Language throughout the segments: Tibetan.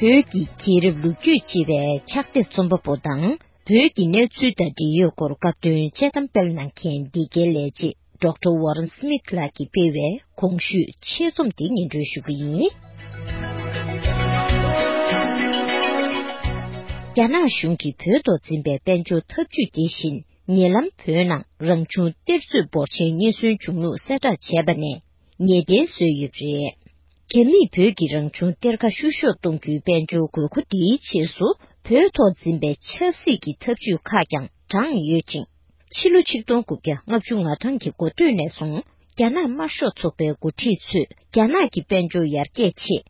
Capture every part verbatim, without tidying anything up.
བོད་ཀྱི་རྒྱལ་རབས་ལོ་རྒྱུས་ཅེས་པའི་ཕྱག་དེབ་རྩོམ་པ་པོ་དང་། བོད་ཀྱི་གནས་ཚུལ་དང་འབྲེལ་ཡོད་སྐོར་སྐབས་དོན་དཔྱད་གཏམ་སྤེལ་གནང་མཁན་འདི་གའི་ལས་བྱེད་ཌོག་ཊར་ཝོ་རན་སི་མིཐ་ལགས་ཀྱིས་སྤེལ་བའི་གོང་ཞུས་ཆེད་རྩོམ་དེ་སྙན་སྒྲོན་ཞུ་གི་ཡིན། རྒྱ་ནག་གཞུང་གིས་བོད་ཐོག་འཛིན་པའི་དཔལ་འབྱོར་འཐབ་ཇུས་དེ་བཞིན། ཉེ་ལམ་བོད་ནང་རང་བྱུང་གཏེར་མཛོད་འབོར་ཆེན་རྙེད་སོན་བྱུང་ལུགས་གསལ་བསྒྲགས་བྱས་པ་ནས་ངེས་གཏན་བཟོས་ཡོད་པ་རེད། རྒྱ་མིས་བོད་ཀྱི་རང་བྱུང་གཏེར་ཁ་བཤུ་གཞོག་གཏོང་རྒྱུའི་དཔལ་འབྱོར་དགོས་མཁོ་དེའི་ཆེད་དུ། བོད་ཐོག་འཛིན་པའི་ཆབ་སྲིད་ཀྱི་ཐབས་ཇུས་ཁག་ཀྱང་དྲངས་ཡོད་ཅིང་། ཕྱི་ལོ་ཆིག་སྟོང་དགུ་བརྒྱ་ལྔ་བཅུ་ང་གྲངས་ཀྱི་འགོ་སྟོད་ནས་བཟུང་རྒྱ་ནག་དམར་ཤོག་ཚོགས་པའི་འགོ་ཁྲིད་ཚོས་རྒྱ་ནག་གི་དཔལ་འབྱོར་ཡར་རྒྱས་ཆེད།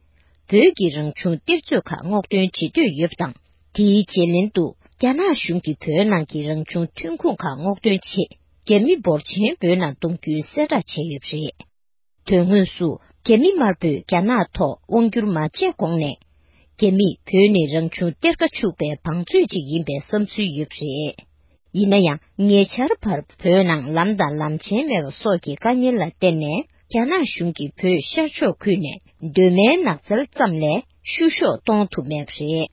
བོད་ཀྱི་རང་བྱུང་གཏེར་མཛོད་ཁག་སྔོག་འདོན་བྱེད་འདོད་ཡོད་པ་དང་། དེའི་རྗེས་ལན་དུ། རྒྱ་ནག་གཞུང་གིས་བོད་ནང་གི་རང་བྱུང་ཐོན་ཁུངས་ཁག་སྔོག་འདོན་ཆེད། རྒྱ་མི་འབོར་ཆེན་བོད་ནང་གཏོང་རྒྱུའི་གསལ་བསྒྲགས་བྱས་ཡོད་པ་རེད། དོན་དངོས་སུ། རྒྱ་མི་དམར་པོས་རྒྱ་ནག་ཐོག་དབང་བསྒྱུར་མ་བྱས་གོང་ནས། རྒྱ་མིས་བོད་ནི་རང་བྱུང་གཏེར་ཁ་ཕྱུག་པའི་བང་མཛོད་ཅིག་ཡིན་པའི་བསམ་ཚུལ་ཡོད་པ་རེད། ཡིན་ན་ཡང་། ཉེ་ཆར་བར་བོད་ནང་ལམ་དང་ལམ་ཆེན་མེད་པ་སོགས་ཀྱི་དཀའ་ངལ་ལ་བརྟེན་ནས། རྒྱ་ནག་གཞུང་གིས་བོད་ཤར་ཕྱོགས་ཁུལ་ནས་གདོད་མའི་ནགས་ཚལ་ཙམ་ལས་བཤུ་གཞོག་གཏོང་ཐུབ་མེད་པ་རེད།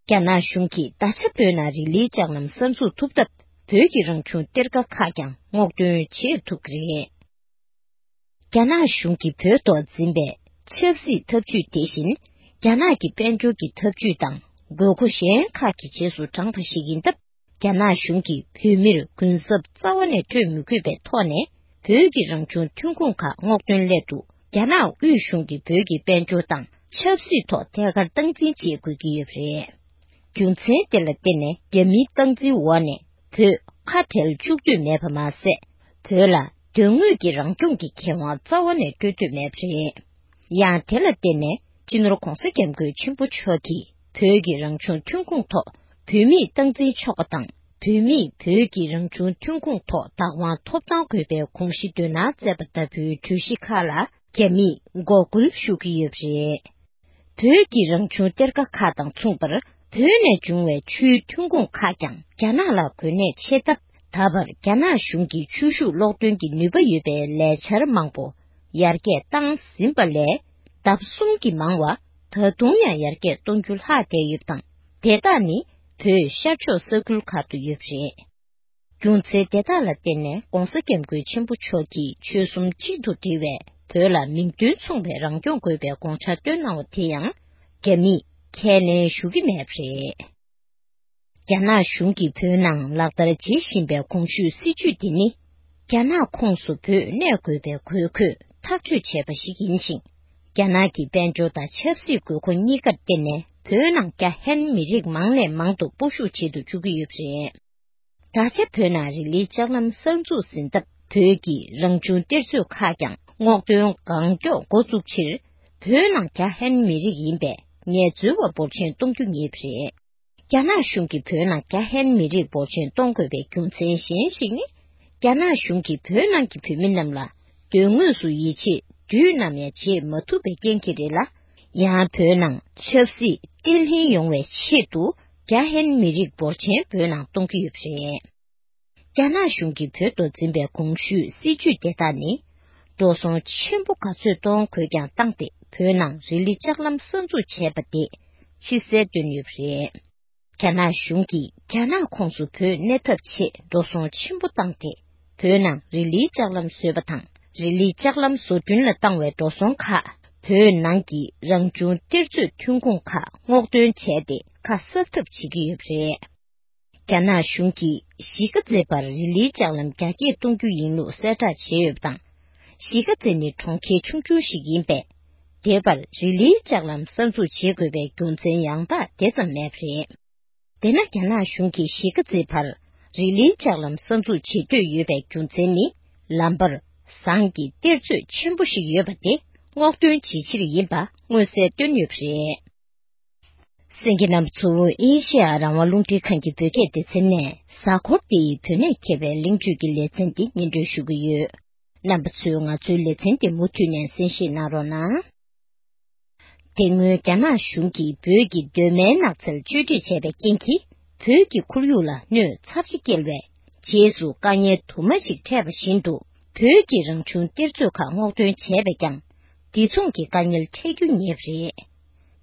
རྒྱ་ནག་གཞུང་གིས་ད་ཆ་བོད་ནང་རི་ལིའི་ལྕགས་ལམ་གསར་འཛུགས་ཐུབ་སྟབས། བོད་ཀྱི་རང་བྱུང་གཏེར་ཁ་ཁག་ཀྱང་སྔོག་འདོན་བྱེད་ཐུབ་ཀྱི་རེད། རྒྱ་ནག་གཞུང་གིས་བོད་ཐོག་འཛིན་པའི་ཆབ་སྲིད་ཐབས་ཇུས་དེ་བཞིན། རྒྱ་ནག་གི་དཔལ་འབྱོར་གྱི་ཐབས་ཇུས་དང་དགོས་མཁོ་གཞན་ཁག་གི་རྗེས་སུ་འབྲངས་པ་ཞིག་ཡིན་སྟབས། རྒྱ་ནག་གཞུང་གིས་བོད་མིར་གུན་གསབ་རྩ་བ་ནས་སྤྲོད་མི་དགོས་པའི་ཐོག་ནས། བོད་ཀྱི་རང་བྱུང་ཐོན་ཁུངས་ཁག་སྔོག་འདོན་སླད་དུ། རྒྱ་ནག་དབུས་གཞུང་གིས་བོད་ཀྱི་དཔལ་འབྱོར་དང་ཆབ་སྲིད་ཐོག་ཐད་ཀར་སྟངས་འཛིན་བྱེད་དགོས་ཀྱི་ཡོད་པ་རེད། རྒྱུ་མཚན་དེ་ལ་བརྟེན་ནས། རྒྱ་མིའི་སྟངས་འཛིན་འོག་ནས། བོད་ཁ་བྲལ་བཅུག་འདོད་མེད་པ་མ་ཟད། བོད་ལ་དོན་དངོས་ཀྱི་རང་སྐྱོང་གི་ཁེ་དབང་རྩ་བ་ནས་སྤྲོད་འདོད་མེད་པ་རེད། ཡང་། དེ་ལ་བརྟེན་ནས། སྤྱི་ནོར་༧གོང་ས་༧སྐྱབས་མགོན་ཆེན་པོ་མཆོག་གིས། བོད་ཀྱི་རང་བྱུང་ཐོན་ཁུངས་ཐོག་བོད་མིས་སྟངས་འཛིན་ཆོག་པ་དང་། བོད་མིས་བོད་ཀྱི་རང་བྱུང་ཐོན་ཁུངས་ཐོག་བདག་དབང་ཐོབ་ཐང་དགོས་པའི་དགོངས་གཞི་འདོན་གནང་མཛད་པ་ལྟ་བུའི་གྲོས་གཞི་ཁག་ལ། རྒྱ་མིས་འགོག་རྒོལ་ཞུ་གི་ཡོད་པ་རེད། བོད་ཀྱི་རང་བྱུང་གཏེར་ཁ་ཁག་དང་མཚུངས་པར། བོད་ནས་བྱུང་བའི་ཆུའི་ཐོན་ཁུངས་ཁག་ཀྱང་རྒྱ་ནག་ལ་གོ་གནས་ཆེ་སྟབས། ད་བར་རྒྱ་ནག་གཞུང་གིས་ཆུ་ཤུགས་གློག་འདོན་གྱི་ནུས་པ་ཡོད་པའི་ལས་འཆར་མང་པོ་ཡར་རྒྱས་བཏང་ཟིན་པ་ལས། ལྡབ་གསུམ་གྱིས་མང་བ། ད་དུང་ཡང་ཡར་རྒྱས་གཏོང་རྒྱུ་ལྷག་བསྡད་ཡོད་པ་དང་། དེ་དག་ནི་བོད་ཤར་ཕྱོགས་ས་ཁུལ་ཁག་ཏུ་ཡོད་པ་རེད། རྒྱུ་མཚན་དེ་དག་ལ་བརྟེན་ནས། ྋགོང་ས་ྋསྐྱབས་མགོན་ཆེན་པོ་མཆོག་གིས་ཆོལ་གསུམ་གཅིག་ཏུ་སྒྲིལ་བའི་བོད་ལ་མིང་དོན་མཚུངས་པའི་རང་སྐྱོང་དགོས་པའི་དགོངས་འཆར་བཏོན་གནང་བ་དེ་ཡང་། རྒྱ་མིས་ཁས་ལེན་ཞུ་གི་མེད་པ་རེད། རྒྱ་ནག་གཞུང་གིས་བོད་ནང་ལག་བསྟར་བྱེད་བཞིན་པའི་གོང་ཞུས་སྲིད་ཇུས་འདི་ནི། རྒྱ་ནག་ཁོངས་སུ་བོད་གནས་དགོས་པའི་དགོས་མཁོས་ཐག་གཅོད་བྱས་པ་ཞིག་ཡིན་ཞིང་། རྒྱ་ནག་གི་དཔལ་འབྱོར་དང་ཆབ་སྲིད་དགོས་མཁོ་གཉིས་ཀར་བརྟེན་ནས། བོད་ནང་རྒྱ་ཧན་མི་རིགས་མང་ནས་མང་དུ་སྤོ་བཤུག་བྱེད་དུ་བཅུག་གི་ཡོད་པ་རེད། ད་ཆ་བོད་ནང་རི་ལིའི་ལྕགས་ལམ་གསར་འཛུགས་ཟིན་སྟབས། བོད་ཀྱི་རང་བྱུང་གཏེར་མཛོད་ཁག་ཀྱང་སྔོག་འདོན་གང་མགྱོགས་འགོ་བཙུགས་ཕྱིར། བོད་ནང་རྒྱ་ཧན་མི་རིགས་ཡིན་པའི་ངལ་རྩོལ་བ་འབོར་ཆེན་གཏོང་རྒྱུ་ངེས་པ་རེད། རྒྱ་ནག་གཞུང་གིས་བོད་ནང་རྒྱ་ཧན་མི་རིགས་འབོར་ཆེན་གཏོང་དགོས་པའི་རྒྱུ་མཚན་གཞན་ཞིག་ནི། རྒྱ་ནག་གཞུང་གིས་བོད་ནང་གི་བོད་མི་རྣམས་ལ་དོན་དངོས་སུ་ཡིད་ཆེས་དུས་ནམ་ཡང་བྱེད་མ་ཐུབ་པའི་རྐྱེན་གྱིས་རེད་ལ། ཡང་བོད་ནང་ཆབ་སྲིད་བརྟན་ལྷིང་ཡོང་བའི་ཆེད་དུ། རྒྱ་ཧན་མི་རིགས་འབོར་ཆེན་བོད་ནང་གཏོང་གི་ཡོད་པ་རེད། རྒྱ་ནག་གཞུང་གིས་བོད་ཐོག་འཛིན་པའི་གོང་ཞུས་སྲིད་ཇུས་དེ་དག་ནི། འགྲོ་སོང་ཆེན་པོ་ག་ཚོད་གཏོང་དགོས་ཀྱང་བཏང་སྟེ། བོད་ནང་རི་ལི་ལྕགས་ལམ་གསར་འཛུགས་བྱས་པ་དེ་ཕྱི་གསལ་བཏོན་ཡོད་པ་རེད། རྒྱ་ནག་གཞུང་གིས་རྒྱ་ནག་ཁོངས་སུ་བོད་གནས་ཐབས་ཆེད་འགྲོ་སོང་ཆེན་པོ་བཏང་སྟེ། བོད་ནང་རི་ལིའི་ལྕགས་ལམ་བཟོས་པ་དང་། རི་ལིའི་ལྕགས་ལམ་བཟོ་སྐྲུན་ལ་བཏང་བའི་འགྲོ་སོང་ཁག་བོད་ནང་གི་རང་བྱུང་གཏེར་མཛོད་ཐོན་ཁུངས་ཁག་སྔོག་འདོན་བྱས་ཏེ། ཁ་གསབ་ཐབས་བྱེད་ཀྱི་ཡོད་པ་རེད། རྒྱ་ནག་གཞུང་གིས་གཞིས་ཀ་རྩེ་བར་རི་ལིའི་ལྕགས་ལམ་རྒྱ་སྐྱེད་གཏོང་རྒྱུ་ཡིན་ལུགས་གསལ་བསྒྲགས་བྱས་ཡོད་པ་དང་། གཞིས་ཀ་རྩེ་ནི་གྲོང་ཁྱེར་ཆུང་ཆུང་ཞིག་ཡིན་པས། དེ་བར་རི་ལིའི་ལྕགས་ལམ་གསར་འཛུགས་བྱེད་དགོས་པའི་རྒྱུ་མཚན་ཡང་དག་དེ་ཙམ་མེད་པ་རེད། དེས་ན། རྒྱ་ནག་གཞུང་གིས་གཞིས་ཀ་རྩེ་བར་རི་ལིའི་ལྕགས་ལམ་གསར་འཛུགས་བྱེད་འདོད་ཡོད་པའི་རྒྱུ་མཚན་ནི། ལམ་བར་ཟངས་ཀྱི་གཏེར་མཛོད་ཆེན་པོ་ཞིག་ཡོད་པ་དེ་སྔོག་འདོན་བྱེད་ཕྱིར་ཡིན་པ་མངོན་གསལ་བཏོན་ཡོད་པ་རེད། གསན་མཁན་རྣམ་པ་ཚོ། ཨེ་ཤེ་ཡ་རང་དབང་རླུང་འཕྲིན་ཁང་གི་བོད་སྐད་སྡེ་ཚན་ནས། གཟའ་འཁོར་འདིའི་བོད་གནས་མཁས་པའི་གླེང་བརྗོད་ཀྱི་ལེ་ཚན་འདི་སྙན་སྒྲོན་ཞུ་གི་ཡོད། རྣམ་པ་ཚོས་ང་ཚོའི་ལེ་ཚན་འདི་མུ་མཐུད་ནས་གསན་བཞེས་གནང་རོགས་གནང་། དེ་སྔོན་རྒྱ་ནག་གཞུང་གིས་བོད་ཀྱི་གདོད་མའི་ནགས་ཚལ་གཅོད་འབྲེག་བྱས་པའི་རྐྱེན་གྱིས། བོད་ཀྱི་ཁོར་ཡུག་ལ་གནོད་ཚབས་ཆེ་བསྐྱེལ་བའི་རྗེས་སུ། དཀའ་ངལ་དུ་མ་ཞིག་འཕྲད་པ་བཞིན་དུ། བོད་ཀྱི་རང་བྱུང་གཏེར་མཛོད་ཁག་སྔོག་འདོན་བྱས་པས་ཀྱང་། འདི་མཚུངས་ཀྱི་དཀའ་ངལ་འཕྲད་རྒྱུ་ངེས་པ་རེད།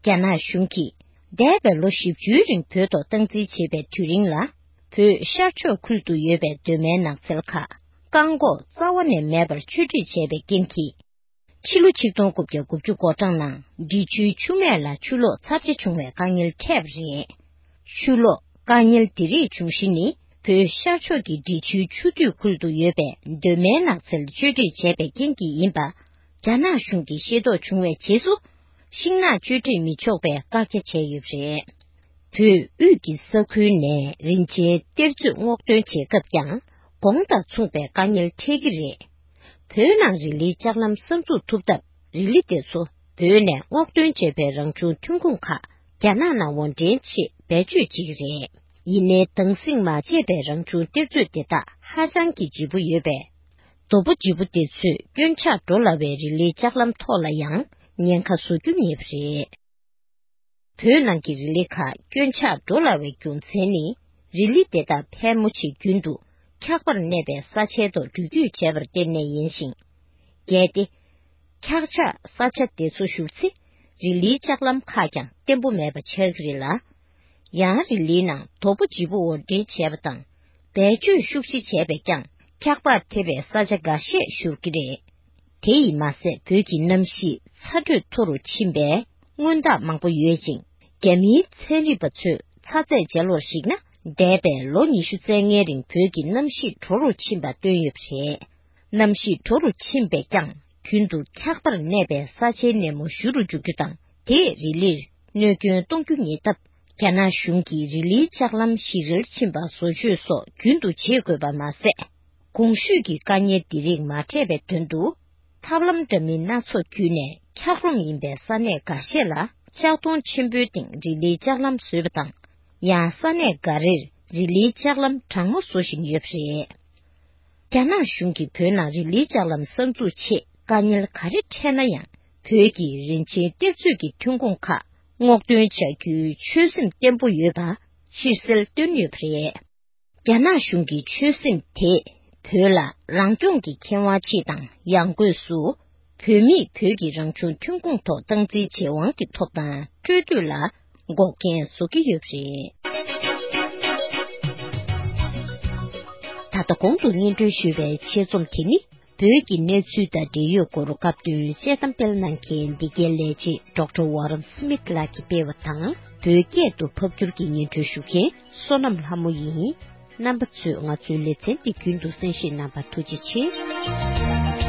རྒྱ་ནག་གཞུང་གིས་ འདས་པའི་ལོ་བཞི་བཅུའི་རིང་བོད་ཐོག་སྟངས་འཛིན་བྱེད་པའི་དུས་རིང་ལ། བོད་ཤར་ཕྱོགས་ཁུལ་དུ་ཡོད་པའི་གདོད་མའི་ནགས་ཚལ་ཁག་བཀག་འགོག་རྩ་བ་ནས་མེད་པར་གཅོད་འབྲེག་བྱས་པའི་རྐྱེན་གྱིས། ཕྱི་ལོ་ཆིག་སྟོང་དགུ་བརྒྱ་དགུ་བཅུ་གོ་གྲངས་ནང་འབྲི་ཆུའི་ཆུ་སྨད་ལ་ཆུ་ལོག་ཚབས་ཆེ་བྱུང་བའི་དཀའ་ངལ་འཕྲད་པ་རེད། ཆུ་ལོག་དཀའ་ངལ་འདི་རིགས་འབྱུང་གཞི་ནི། བོད་ཤར་ཕྱོགས་ཀྱི་འབྲི་ཆུའི་ཆུ་སྟོད་ཁུལ་དུ་ཡོད་པའི་གདོད་མའི་ནགས་ཚལ་གཅོད་འབྲེག་བྱས་པའི་རྐྱེན་གྱིས་ཡིན་པ། རྒྱ་ནག་གཞུང་གིས་ཤེས་རྟོགས་བྱུང་བའི་རྗེས་སུ། ཤིང་ནགས་གཅོད་འབྲེག་མི་ཆོག་པའི་བཀག་རྒྱ་བྱས་ཡོད་པ་རེད། བོད་དབུས་ཀྱི་ས་ཁུལ་ནས་རིན་ཆེན་གཏེར་མཛོད་སྔོག་འདོན་བྱེད་སྐབས་ཀྱང་གོང་དང་མཚུངས་པའི་དཀའ་ངལ་འཕྲད་ཀྱི་རེད། བོད་ནང་རི་ལིའི་ལྕགས་ལམ་གསར་འཛུགས་ཐུབ་སྟབས། རི་ལི་དེ་ཚོ་བོད་ནས་སྔོག་འདོན་བྱས་པའི་རང་བྱུང་ཐོན་ཁུངས་ཁག་རྒྱ་ནག་ནང་དབོར་འདྲེན་ཆེད་བེད་སྤྱོད་བྱེད་ཀྱི་རེད། ཡིན་ནའི་དྭངས་སིང་མ་བྱས་པའི་རང་བྱུང་གཏེར་མཛོད་དེ་དག་ཧ་ཅང་གི་ལྗིད་པོ་ཡོད་པས། རྡོ་པོ་ལྗིད་པོ་དེ་ཚོས་སྐྱོན་ཆག་འགྲོ་སླ་བའི་རི་ལིའི་ལྕགས་ལམ་ཐོག་ལ་ཡང་ཉེན་ཁ་བཟོ་རྒྱུ་ངེས་པ་རེད། བོད་ནང་གི་རི་ལི་ཁག་སྐྱོན་ཆག་འགྲོ་སླ་བའི་རྒྱུ་མཚན་ནི། རི་ལི་དེ་དག་ཕལ་མོ་ཆེ་རྒྱུན་དུ་འཁྱག་པར་གནས་པའི་ས་ཆའི་ཐོག་འགྲུལ་སྐྱོད་བྱས་པར་བརྟེན་ནས་ཡིན་ཞིང་། གལ་ཏེ། འཁྱག་ཆགས་ས་ཆ་དེ་ཚོ་བཞུར་ཚེ། རི་ལིའི་ལྕགས་ལམ་ཁག་ཀྱང་བརྟན་པོ་མེད་པ་ཆགས་ཀྱི་རེད་ལ། ཡང་རི་ལིའི་ནང་རྡོ་པོ་ལྗིད་པོ་དབོར་འདྲེན་བྱས་པ་དང་། བེད་སྤྱོད་ཤུགས་ཆེ་བྱས་པས་ཀྱང་འཁྱག་པར་ཐེབས་པའི་ས་ཆ་འགའ་ཤས་བཞུར་གྱི་རེད། དེ་ཡིས་མ་ཟད་བོད་ཀྱི་གནམ་གཤིས་ཚ་དྲོད་མཐོ་རུ་ཕྱིན་པས་སྔོན་རྟགས་མང་པོ་ཡོད་ཅིང་། རྒྱ་མིའི་ཚན་རིག་པ་ཚོས་ཚ་ཚད་འཇལ་བར་གཞིགས་ན། འདས་པའི་ལོ་ཉི་ཤུ་རྩ་ལྔའི་རིང་བོད་ཀྱི་གནམ་གཤིས་དྲོ་རུ་ཕྱིན་པ་བཏོན་ཡོད་པ་རེད། གནམ་གཤིས་དྲོ་རུ་ཕྱིན་པས་ཀྱང་རྒྱུན་དུ་འཁྱག་པར་གནས་པའི་ས་ཆའི་ནས་མོ་བཞུ་རུ་འཇུག་རྒྱུ་དང་། དེས་རི་ལིར་གནོད་སྐྱོན་གཏོང་རྒྱུ་ཉེན་སྟབས། རྒྱ་ནག་གཞུང་གིས་རི་ལིའི་ལྕགས་ལམ་ཞིག་རལ་ཕྱིན་པ་བཟོ་བཅོས་སོགས་རྒྱུན་དུ་བྱེད་དགོས་པ་མ་ཟད། གོང་ཞུས་ཀྱི་དཀའ་ངལ་འདི་རིགས་མ་འཕྲད་པའི་དོན་དུ། ཐབས་ལམ་འདྲ་མིན་སྣ་ཚོགས་བརྒྱུད་ནས་འཁྱགས་རོམ་ཡིན་པའི་ས་གནས་འགའ་ཤས་ལ་ལྕགས་མདོང་ཆེན་པོའི་སྟེང་རི་ལིའི་ལྕགས་ལམ་བཟོས་པ་དང་། ཡང་ས་གནས་འགའ་རེར་རི་ལིའི་ལྕགས་ལམ་གྲང་མོ་བཟོ་བཞིན་ཡོད་པ་རེད། རྒྱ་ནག་གཞུང་གིས་བོད་ནང་རི་ལིའི་ལྕགས་ལམ་གསར་འཛུགས་ཆེད་དཀའ་ངལ་ག་རེ་འཕྲད་ན་ཡང་། བོད་ཀྱི་རིན་ཆེན་གཏེར་མཛོད་ཀྱི་ཐོན་ཁུངས་ཁག་སྔོག་འདོན་བྱ་རྒྱུའི་ཆོད་སེམས་བརྟན་པོ་ཡོད་པ་ཕྱིར་གསལ་བཏོན་ཡོད་པ་རེད། རྒྱ་ནག་གཞུང་གི་ཆོད་སེམས་དེས་བོད་ལ་རང་སྐྱོང་གི་ཁེ་དབང་སྤྱི་དང་ཡང་སྒོས་སུ། བོད་མིས་བོད་ཀྱི་རང་བྱུང་ཐོན་ཁུངས་ཐོག་སྟངས་འཛིན་བྱེད་དབང་གི་ཐོབ་ཐང་སྤྲོད་འདོད་ལ་འགོག་རྐྱེན་བཟོ་གི་ཡོད་པ་རེད། ད་ལྟ་གོང་དུ་སྙན་སྒྲོན་ཞུས་པའི་ཆེད་རྩོམ་དེ་ནི། བོད་ཀྱི་གནས་ཚུལ་དང་འབྲེལ་ཡོད་སྐོར་སྐབས་བསྟུན་དཔྱད་གཏམ་སྤེལ་གནང་མཁན་འདི་གའི་ལས་བྱེད་ཌོག་ཊར་ཝོ་རན་སྨིད་ལགས་ཀྱིས་སྤེལ་བ་དང་། བོད་སྐད་དུ་ཕབ་སྒྱུར་གྱིས་སྙན་སྒྲོན་ཞུ་མཁན་བསོད་ནམས་ལྷ་མོ་ཡིན། རྣམ་པ་ཚོས་ང་ཚོའི་ལེ་ཚན་འདི་རྒྱུན་དུ་གསན་བཞེས་གནང་བར་ཐུགས་རྗེ་ཆེ།